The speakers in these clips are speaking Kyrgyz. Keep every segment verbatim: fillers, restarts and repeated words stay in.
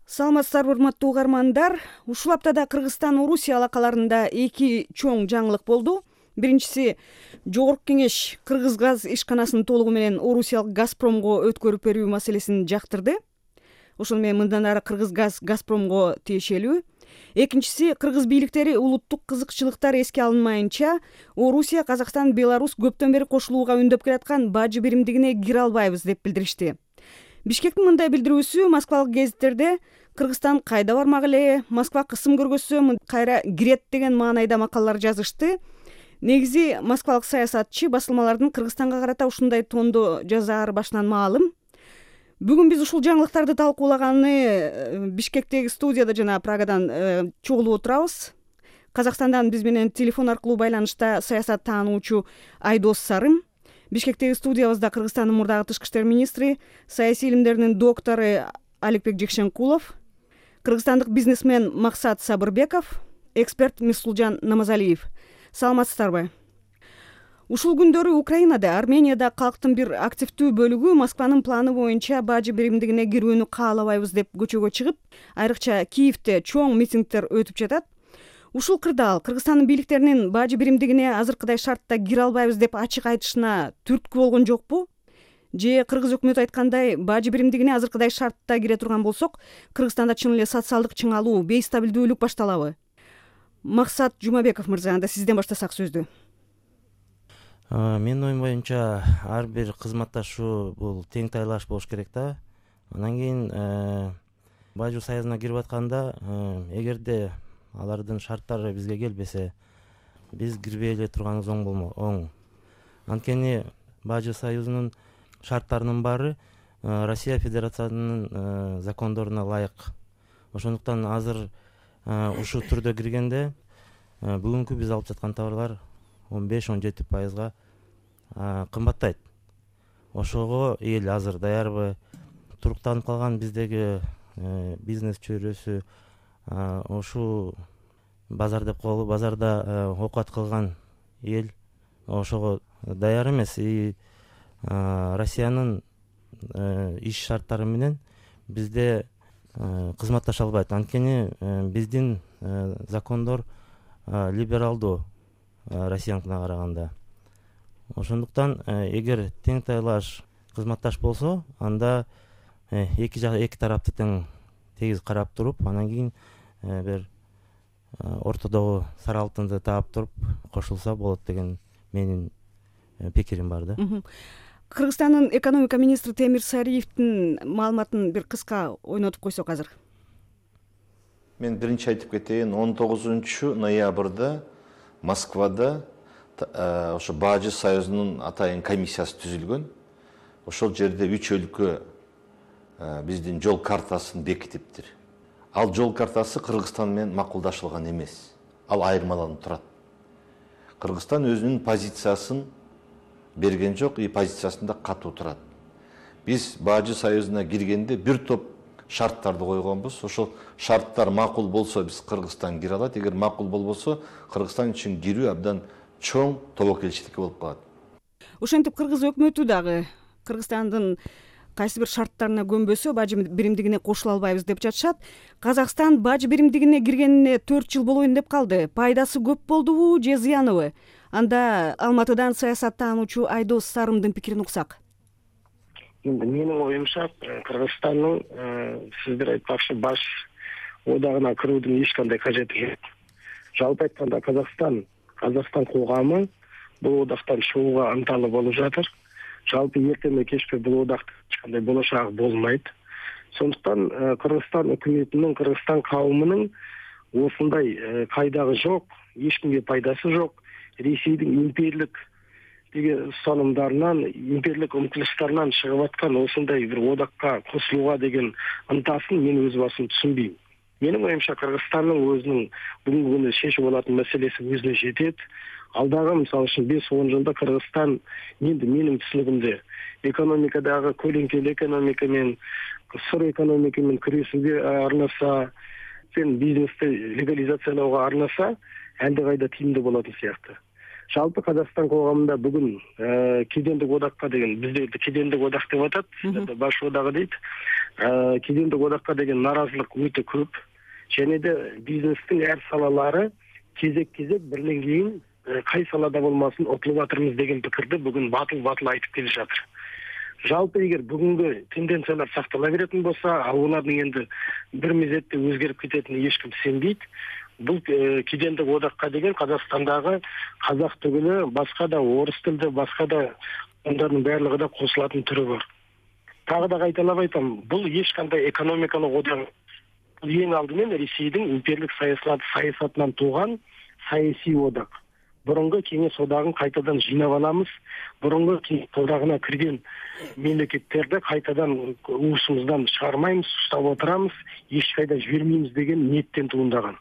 Саламатсыздарбы, урматтуу угармандар. Ушул аптада Кыргызстан Орусия алакаларында эки чоң жаңылык болду. Биринчиси, Жогорку Кеңеш Кыргыз газ ишканасын толугу менен Орусиялык Газпромго өткөрүп берүү маселесин жактырды. Ошону менен мындан ары Кыргыз газ Газпромго тиешелүү. Экинчиси, кыргыз бийликтери улуттук кызыкчылыктар эске алынмайынча Орусия, Казакстан, Беларусь көптөн бери кошулууга үндөп келаткан бажы биримдигине кире албайбыз деп билдиришти. Бишкектин мындай билдирүүсү Москвалык гезиттерде Кыргызстан кайда бармак эле, Москва кысым көргөзсө кайра кирет деген маанайда макалалар жазышты. Негизи москвалык саясатчы басылмалардын Кыргызстанга карата ушундай тондо жазаары башынан маалым. Бүгүн биз ушул жаңылыктарды талкуулаганы Бишкектеги студияда жана Прагадан чогулуп отурабыз. Казакстандан биз менен телефон аркылуу байланышта саясат таануучу Айдос Сарым, Бишкектеги студиябызда Кыргызстандын мурдагы тышкы иштер министри, саясий илимдердин доктору Аликбек Жекшенкулов, кыргызстандык бизнесмен Максат Сабырбеков, эксперт Мирсулжан Намазалиев. Саламатсыздарбы? Ушул күндөрү Украинада, Арменияда калктын бир активдүү бөлүгү Москванын планы боюнча бажы биримдигине кирүүнү каалабайбыз деп көчөгө чыгып, айрыкча Киевде чоң митингдер өтүп жатат. Ушул кырдаал Кыргызстандын бийликтеринин бажы биримдигине азыркыдай шартта кире албайбыз деп ачык айтышына түрткү болгон жокпу? Же кыргыз өкмөтү айткандай бажы биримдигине азыркыдай шартта кире турган болсок, Кыргызстанда чын эле социалдык чыңалуу, бейстабилдүүлүк башталабы? Максат Жумабеков мырза, анда сизден баштасак сөздү. Менин оюм боюнча ар бир кызматташуу бул тең тайлаш болуш керек да. Анан кийин бажы союзуна кирип атканда, эгерде алардын шарттары бизге келбесе, биз кирбей эле турганыбыз оң болмо оң. Анткени бажы союзунун шарттарынын баары Россия Федерациясынын закондоруна ылайык. Ошондуктан азыр ушул түрдө киргенде бүгүнкү биз алып жаткан товарлар он беш он жети пайызга кымбаттайт. Ошого эл азыр даярбы? Туруктанып калган биздеги бизнес чөйрөсү ошол базар деп коелу, базарда оокат кылган эл ошого даяр эмес. И Россиянын иш шарттары менен бизде кызматташа албайт. Анткени биздин закондор либералдуу Россияныкына караганда. Ошондуктан эгер тең тайлаш кызматташ болсо, анда эки жак эки тарапты тең тегиз карап туруп, анан кийин бир ортодогу сары алтынды таап туруп кошулса болот деген менин пикирим бар да. Кыргызстандын экономика министри Темир Сариевдин маалыматын бир кыска ойнотуп койсок азыр. Мен биринчи айтып кетейин, он тогузунчу ноябрда Москвада ошо бажы союзунун атайын комиссиясы түзүлгөн. Ошол жерде үч өлкө биздин жол картасын бекитиптир. Ал жол картасы Кыргызстан менен макулдашылган эмес. Ал айырмаланып турат. Кыргызстан өзүнүн позициясын берген жок, и позициясында катуу турат. Биз бажы союзуна киргенде бир топ шарттарды койгонбуз. Ошол шарттар макул болсо биз Кыргызстан кире алат, эгер макул болбосо Кыргызстан үчүн кирүү абдан чоң тобокелчиликке болуп калат. Ошентип кыргыз өкмөтү дагы Кыргызстандын кайсы бир шарттарына көнбөсө бажы биримдигине кошула албайбыз деп жатышат. Казакстан бажы биримдигине киргенине төрт жыл болоюн деп калды. Пайдасы көп болдубу же зыяныбы? Анда Алматыдан саясат таануучу Айдос Сарымдын пикирин уксак. Енді менің ойымша Кыргызстанның сіздер айтпақшы баш одағына кірудің ешқандай қажеті жоқ. Жалпы айтканда Қазақстан, Қазақстан қоғамы бұл одақтан шығуға ынталы болып жатыр. Жалпы ертеме кешпе бұл одақтың ешқандай болашағы болмайды. Сондықтан Кыргызстан үкіметінің, Кыргызстан қауымының осындай пайдасы жоқ, ешкімге пайдасы жоқ. Ресейдің имперлік деген ұстанымдарынан, имперлік ұмтылыстарынан шығып атқан осындай бір одаққа қосылуға деген ынтасын мен өз басым түсінбеймін. Менің ойымша Кыргызстанның өзінің бүгінгі күні шешіп алатын мәселесі өзіне жетеді. Алдағы мысалы үшін бес он жылда Кыргызстан енді менің түсінігімде экономикадағы көлеңкелі экономикамен, сыр экономикамен күресуге арнаса, бизнесті легализациялауға арнаса, әлдеқайда тиімді болатын сияқты. Жалпы Қазақстан қоғамында бүгін кедендік одаққа деген, бізде кедендік одақ деп атады, баш одағы дейді. кедендик одакка деген нааразылык өтө көп және де бизнестин ар салалары кезек кезек биринен кийин кай салада болмасын утулуп атырмыз деген пикирди бүгүн батыл батыл айтып келе жатыр. Жалпы эгер бүгүнкү тенденциялар сактала беретін болса, ал улардын энди бир мезетте өзгерип кететине эч ким сенбейт. Бул кедендик одакка деген Казакстандагы казак түгүлү, башка да орус тилде, башка да ондордун баардыгы да кошулатын түрү бар. Тагы да кайталап айтам, бул эч кандай экономикалык одак. Бул эң алдымен Ресейдин империялык саясатынан тууган саясий одак. Бурунку Кеңеш одагын кайтадан жыйнап алабыз. Бурунку Кеңеш одагына кирген мемлекеттерди кайтадан уусубуздан чыгармайбыз, уштап отурабыз, эч кайда жибермейбиз деген ниеттен туурдаган.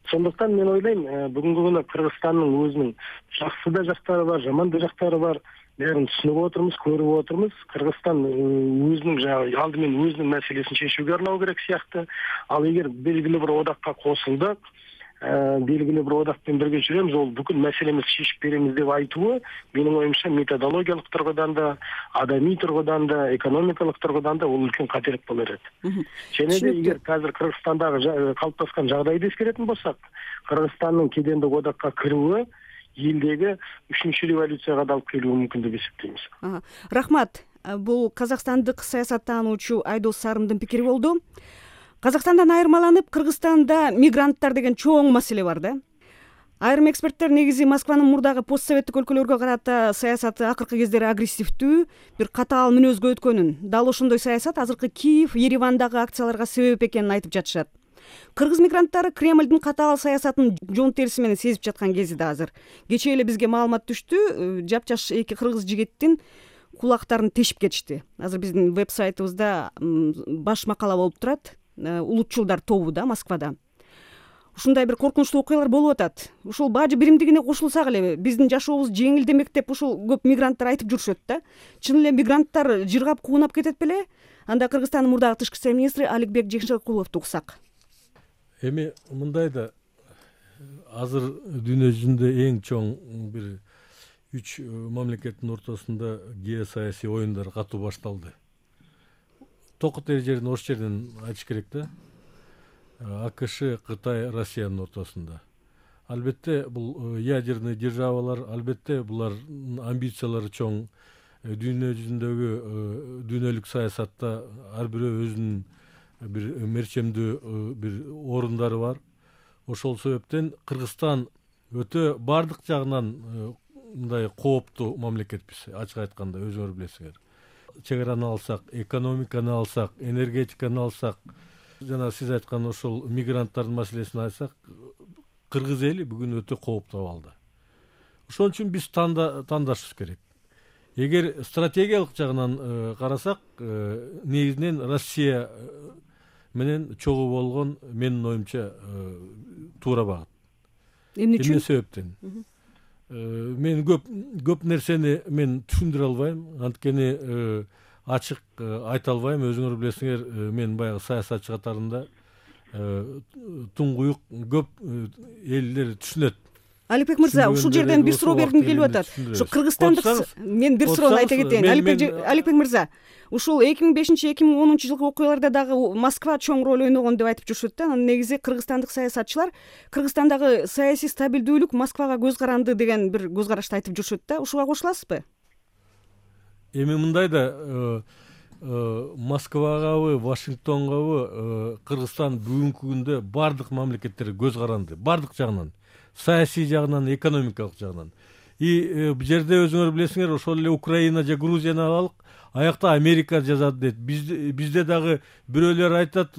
Сондуктан мен ойлойм, бүгүнкү күнү Кыргызстандын өзүнүн жакшы да жактары бар, жаман да жактары бар. Бәрін түсініп отырмыз, көріп отырмыз. Кыргызстан өзінің жаңағы алдымен өзінің мәселесін шешуге арнау керек сияқты. Ал егер белгілі бір одаққа қосылдық, белгілі бір одақпен бірге жүреміз, ол бүкіл мәселемізді шешіп береміз деп айтуы, менің ойымша методологиялық тұрғыдан да, адами тұрғыдан да, экономикалық тұрғыдан да ол үлкен қателік болар еді. Және де егер қазір Кыргызстандағы қалыптасқан жағдайды ескеретін болсақ, Кыргызстанның кедендік одаққа кіруі елдегі үшінші революцияға да алып келуі мүмкін деп есептейміз. Рахмат. Бул казакстандык саясаттануучу Айдос Сарымдын пикири болду. Казакстандан айырмаланып, Кыргызстанда мигранттар деген чоң маселе бар да. Айрым эксперттер негизи Москванын мурдагы постсоветтик өлкөлөргө карата саясаты акыркы кездери агрессивдүү, бир катаал мүнөзгө өткөнүн, дал ошондой саясат азыркы Киев, Еревандагы акцияларга себеп экенин айтып жатышат. Кыргыз мигранттары Кремлдин катаал саясатын жон териси менен сезип жаткан кези да азыр. Кечээ эле бизге маалымат түштү, жапжаш эки кыргыз жигиттин кулактарын тешип кетишти. Азыр биздин веб-сайтыбызда баш макала болуп турат. Улутчулдар тобу да Москвада. Ушундай бир коркунучтуу окуялар болуп атат. Ушул бажы биримдигине кошулсак эле биздин жашообуз жеңилдемек деп ушул көп мигранттар айтып жүрүшөт да. Чын эле мигранттар жыргап куунап кетет беле? Анда Кыргызстандын мурдагы тышкы искер министри Аликбек Жекшенкуловду уксак. Эми мындай да азыр дүйнө жүзүндө эң чоң бир үч мамлекеттин ортосунда геосаясий оюндар катуу башталды. Токут жерин ош жеринен айтыш керек да. АКШ, Кытай, Россиянын ортосунда. Албетте бул ядерный державалар, албетте булардын амбициялары чоң. Дүйнө жүзүндөгү дүйнөлүк саясатта ар бирөө өзүнүн бир мерчемдүү бир орундары бар. Ошол себептен Кыргызстан өтө бардык жагынан мындай кооптуу мамлекетпиз, ачык айтканда, өзүңөр билесиңер. Чегараны алсак, экономиканы алсак, энергетиканы алсак, жана сиз айткан ошол мигранттардын маселесин айтсак, кыргыз эли бүгүн өтө кооптуу абалда. Ошон үчүн биз тандашыбыз керек. Эгер стратегиялык жагынан карасак, негизинен Россия менен чогуу болгон менин оюмча туура багыт. Эмне себептен? Мен көп көп нерсени мен түшүндүрө албайм, анткени ачык айта албайм. Өзүңөр билесиңер, мен баягы саясатчы катарында туңгуюк көп элдер түшүнөт. Аликбек мырза, ушул жерден бир суроо бергим келип атат. Ушу кыргызстандык мен бир суроону айта кетейин. Аликбек мырза, ушул эки миң бешинчи эки миң онунчу жылкы окуяларда дагы Москва чоң роль ойногон деп айтып жүрүшөт да. Анын негизи кыргызстандык саясатчылар Кыргызстандагы саясий стабилдүүлүк Москвага көз каранды деген бир көз карашты айтып жүрүшөт да. Ушуга кошуласызбы? Эми мындай да, Москвагабы, Вашингтонгабы Кыргызстан бүгүнкү күндө бардык мамлекеттер көз каранды, бардык жагынан. Саясий жагынан, экономикалык жагынан. И бул жерде өзүңөр билесиңер, ошол эле Украина же Грузияны алалык, аякта Америка жазат дейт. Бизде дагы бирөөлөр айтат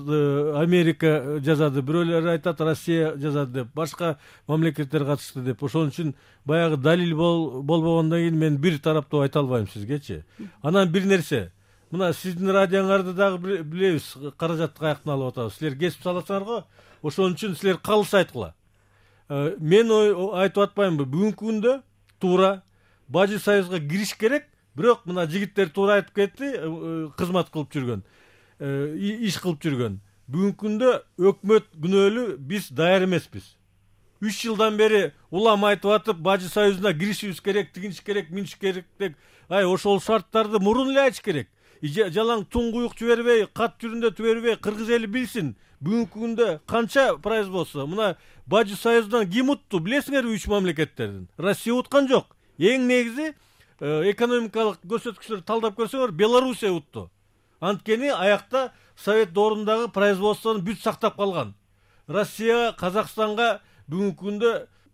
Америка жазады, бирөөлөр айтат Россия жазат деп, башка мамлекеттер катышты деп. Ошон үчүн баягы далил болбогондон кийин мен бир тараптуу айта албайм сизгечи. Анан бир нерсе, мына сиздин радионуңарды дагы билебиз, каражатты каяктан алып атабыз. Силер кесип саласыңар го, ошон үчүн силер калыс айткыла. Мен айтып атпаймынбы, бүгүнкү күндө туура Бажы Союзга кириш керек, бирок мына жигиттер туура айтып кетти, кызмат кылып жүргөн, иш кылып жүргөн. Бүгүнкү күндө өкмөт күнөөлүү, биз даяр эмеспиз. үч жылдан бери улам айтып атып, Бажы Союзуна киришибиз керек, тигиниш керек, миниш керек деп, ай ошол шарттарды мурун эле айтыш керек. жалаң туңгуюк жибербей, кат түрүндө жибербей, кыргыз эли билсин. Бүгүнкү күндө канча производство? Мына Бажы Союзунан ким утту? Билесиңерби үч мамлекеттердин? Россия уткан жок. Эң негизи экономикалык көрсөткүчтөрдү талдап көрсөңөр, Белоруссия утту. Анткени аякта Совет доорундагы производствону бүт сактап калган. Россия Казакстанга бүгүнкү күндө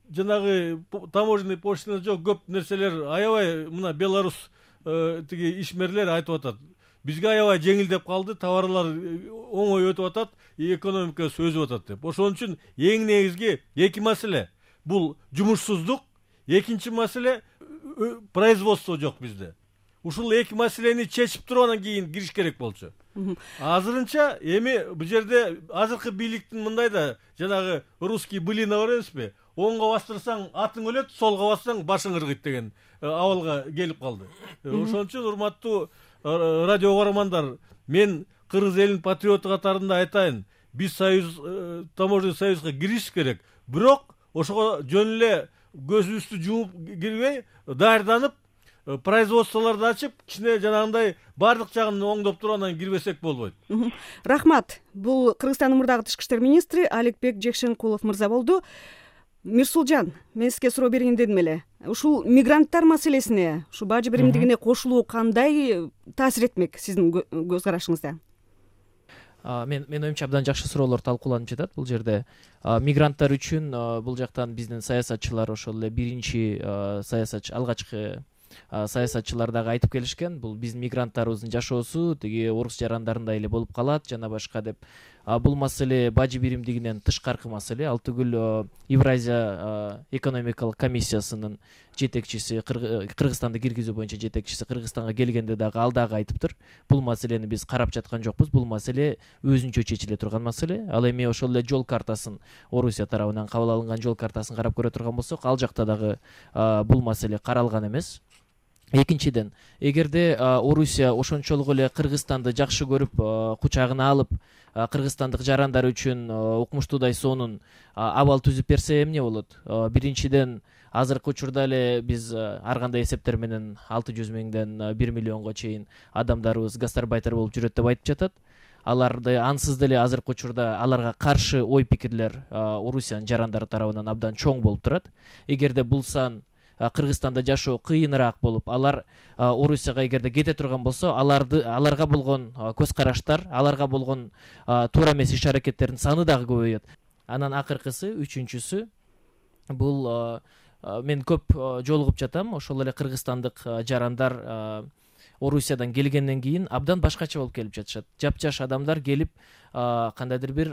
жанагы таможенный пошлина жок, көп нерселер аябай мына Белорус тиги ишмерлер айтып атат. Бизге аябай жеңилдеп калды, товарлар оңой өтүп атат, экономика өсүп атат деп. Ошон үчүн эң негизги эки маселе. Бул жумушсуздук, экинчи маселе производство жок bizde. Ушул эки маселени чечип туруп анан кийин кириш керек болчу. Азырынча эми бул жерде азыркы бийликтин мындай да жанагы русский былина бар эмеспи? Оңго бастырсаң атың өлөт, солго бассаң башың ыргыйт деген абалга келип калды. Ошон үчүн урматтуу радио угармандар, мен кыргыз элинин патриоту катарында айтайын, биз союз таможенный союзга кириш керек. Бирок ошого жөн эле көзүбүздү жумуп кирбей, даярданып, производстволорду ачып, кичине жанагындай бардык жагын оңдоп туруп анан кирбесек болбойт. Рахмат. Бул Кыргызстандын мурдагы тышкы иштер министри Аликбек Жекшенкулов мырза болду. Мирсулжан, мен сизге суроо берейин дедим эле. Ушул мигранттар маселесине, ушу бажы биримдигине кошулуу кандай таасир этмек сиздин көз карашыңызда? Мен мен оюмча абдан жакшы суроолор талкууланып жатат бул жерде. Мигранттар үчүн бул жактан биздин саясатчылар ошол эле биринчи саясатчы алгачкы саясатчылар дагы айтып келишкен. Бул биздин мигранттарыбыздын жашоосу тиги орус жарандарындай эле болуп калат жана башка деп. Бул маселе бажы биримдигинен тышкаркы маселе. Ал түгүл Евразия экономикалык комиссиясынын жетекчиси, Кыргызстанды киргизүү боюнча жетекчиси Кыргызстанга келгенде дагы ал дагы айтыптыр. Бул маселени биз карап жаткан жокпуз. Бул маселе өзүнчө чечиле турган маселе. Ал эми ошол эле жол картасын, Орусия тарабынан кабыл алынган жол картасын карап көрө турган болсок, ал жакта дагы бул маселе каралган эмес. Экинчиден, эгерде Орусия ошончолук эле Кыргызстанды жакшы көрүп, кучагына алып, кыргызстандык жарандар үчүн укмуштуудай сонун абал түзүп берсе эмне болот? Биринчиден, азыркы учурда эле биз ар кандай эсептер менен алты жүз миңден бир миллионго чейин адамдарыбыз гастарбайтер болуп жүрөт деп айтып жатат. Аларды ансыз деле азыркы учурда аларга каршы ой пикирлер Орусиянын жарандары тарабынан абдан чоң болуп турат. Эгерде бул сан Кыргызстанда жашоо кыйыныраак болуп, алар Орусияга эгерде кете турган болсо, аларды аларга болгон көз караштар, аларга болгон туура эмес иш аракеттердин саны дагы көбөйөт. Анан акыркысы, үчүнчүсү, бул мен көп жолугуп жатам, ошол эле кыргызстандык жарандар Орусиядан келгенден кийин абдан башкача болуп келип жатышат. Жапжаш адамдар келип, кандайдыр бир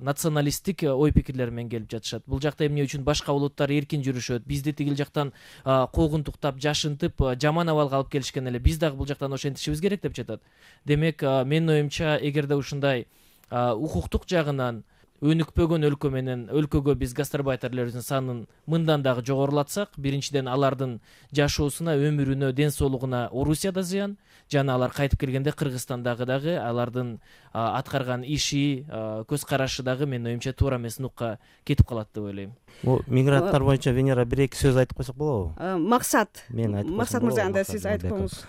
националисттик ой пикирлер менен келип жатышат. Бул жакта эмне үчүн башка улуттар эркин жүрүшөт, бизди тигил жактан куугунтуктап, жашынтып, жаман абалга алып келишкен эле, биз дагы бул жактан ошентишибиз керек деп жатат. Демек, менин оюмча, эгерде ушундай укуктук жагынан өнүкпөгөн өлкө менен өлкөгө биз гастарбайтерлерибиздин санын мындан дагы жогорулатсак, биринчиден алардын жашоосуна, өмүрүнө, ден соолугуна Орусияда зыян, жана алар кайтып келгенде Кыргызстандагы дагы алардын аткарган иши, көз карашы дагы менин оюмча туура эмес нукка кетип калат деп ойлойм. Бул мигранттар боюнча Венера бир эки сөз айтып койсок болобу? Максат. Мен айтып койсом. Максат мырза, анда сиз айтып коюңуз.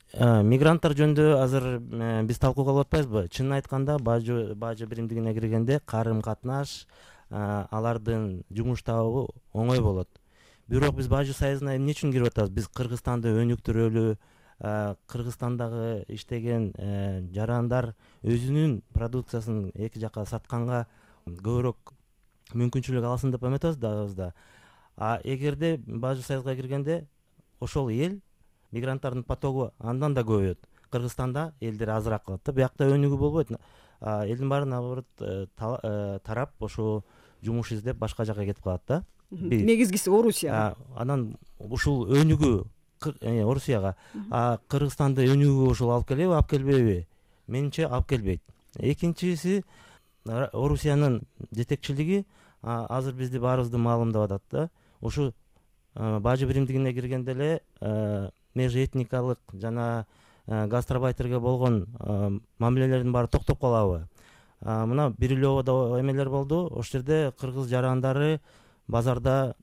Мигранттар жөнүндө азыр биз талкууга алып атпайбызбы? Чынын айтканда, бажы бажы биримдигине киргенде карым катнаш, алардын жумуш табуу оңой болот. Бирок биз бажы союзуна эмне үчүн кирип атабыз? Биз Кыргызстанды өнүктүрөлү, Кыргызстандагы иштеген жарандар өзүнүн продукциясын эки жака сатканга көбүрөөк мүмкүнчүлүк алсын деп эметебиз да. А эгерде бажы союзга киргенде ошол эл мигранттардын потогу андан да көбөйөт. Кыргызстанда элдер азыраак калат да, биякта өнүгүү болбойт. Элдин баары наоборот тарап ошо жумуш издеп башка жака кетип калат да. Негизгиси Орусияга. Анан ушул өнүгүү Орусияга, Кыргызстанды өнүгүүгө ушул алып келеби, алып келбейби? Менимче алып келбейт. Экинчиси, Орусиянын жетекчилиги азыр бизди баарыбызды маалымдап атат да. Ушу бажы биримдигине киргенде эле межэтникалык жана гастарбайтерге болгон мамилелердин баары токтоп калабы? Мына Бирилёводо эмелер болду. Ошол жерде кыргыз жарандары базарда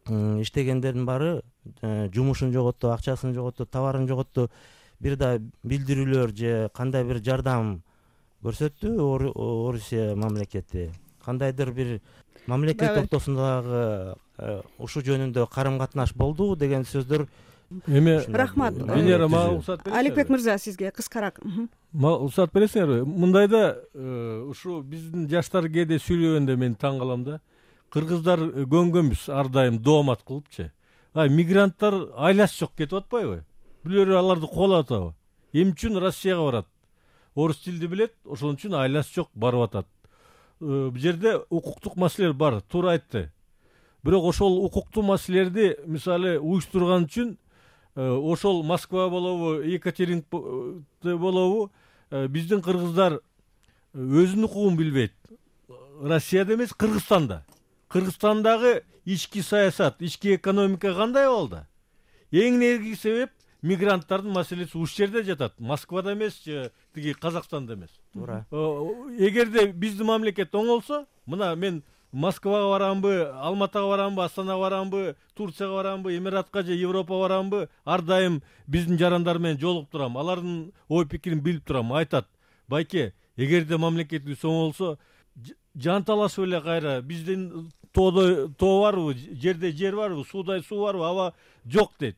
иштегендердин баары жумушун жоготту, акчасын жоготту, товарын жоготту. бир да билдирүүлөр же кандай бир жардам көрсөттү Орусия мамлекети? Кандайдыр бир мамлекет ортосундагы ушул жөнүндө карым катнаш болду деген сөздөр. Эми рахмат. Венера, мага уруксат бересиңерби? Аликбек мырза, сизге кыскараак. Мага уруксат бересиңерби? Мындайда ушу биздин жаштар кээде сүйлөгөндө мен таң калам да. Кыргыздар көнгөнбүз ар дайым доомат кылыпчы. Ай, мигранттар айласы жок кетип атпайбы? Бирөө аларды кубалап атабы? Эмне үчүн Россияга барат? Орус тилди билет, ошон үчүн айласы жок барып атат. Бул жерде укуктук маселелер бар, туура айтты. Бирок ошол укуктуу маселелерди мисалы уюштурган үчүн ошол Москва болобу, Екатеринбург болобу, биздин кыргыздар өзүнүн укугун билбейт. Россияда эмес, Кыргызстанда. Кыргызстандагы ички саясат, ички экономика кандай болду? Эң негизги себеп мигранттардын маселеси ушул жерде жатат. Москвада эмес, тиги Казакстанда эмес. Туура. Эгерде биздин мамлекет оңолсо, мына мен Москвага барамбы, Алматага барамбы, Астанага барамбы, Турцияга барамбы, Эмиратка же Европага барамбы, ар дайым биздин жарандар менен жолугуп турам. Алардын ой пикирин билип турам. Айтат: "Байке, эгерде мамлекетибиз оңолсо, жанталашып эле кайра биздин тоодо тоо барбы, жерде жер барбы, сууда суу барбы, аба жок" дейт.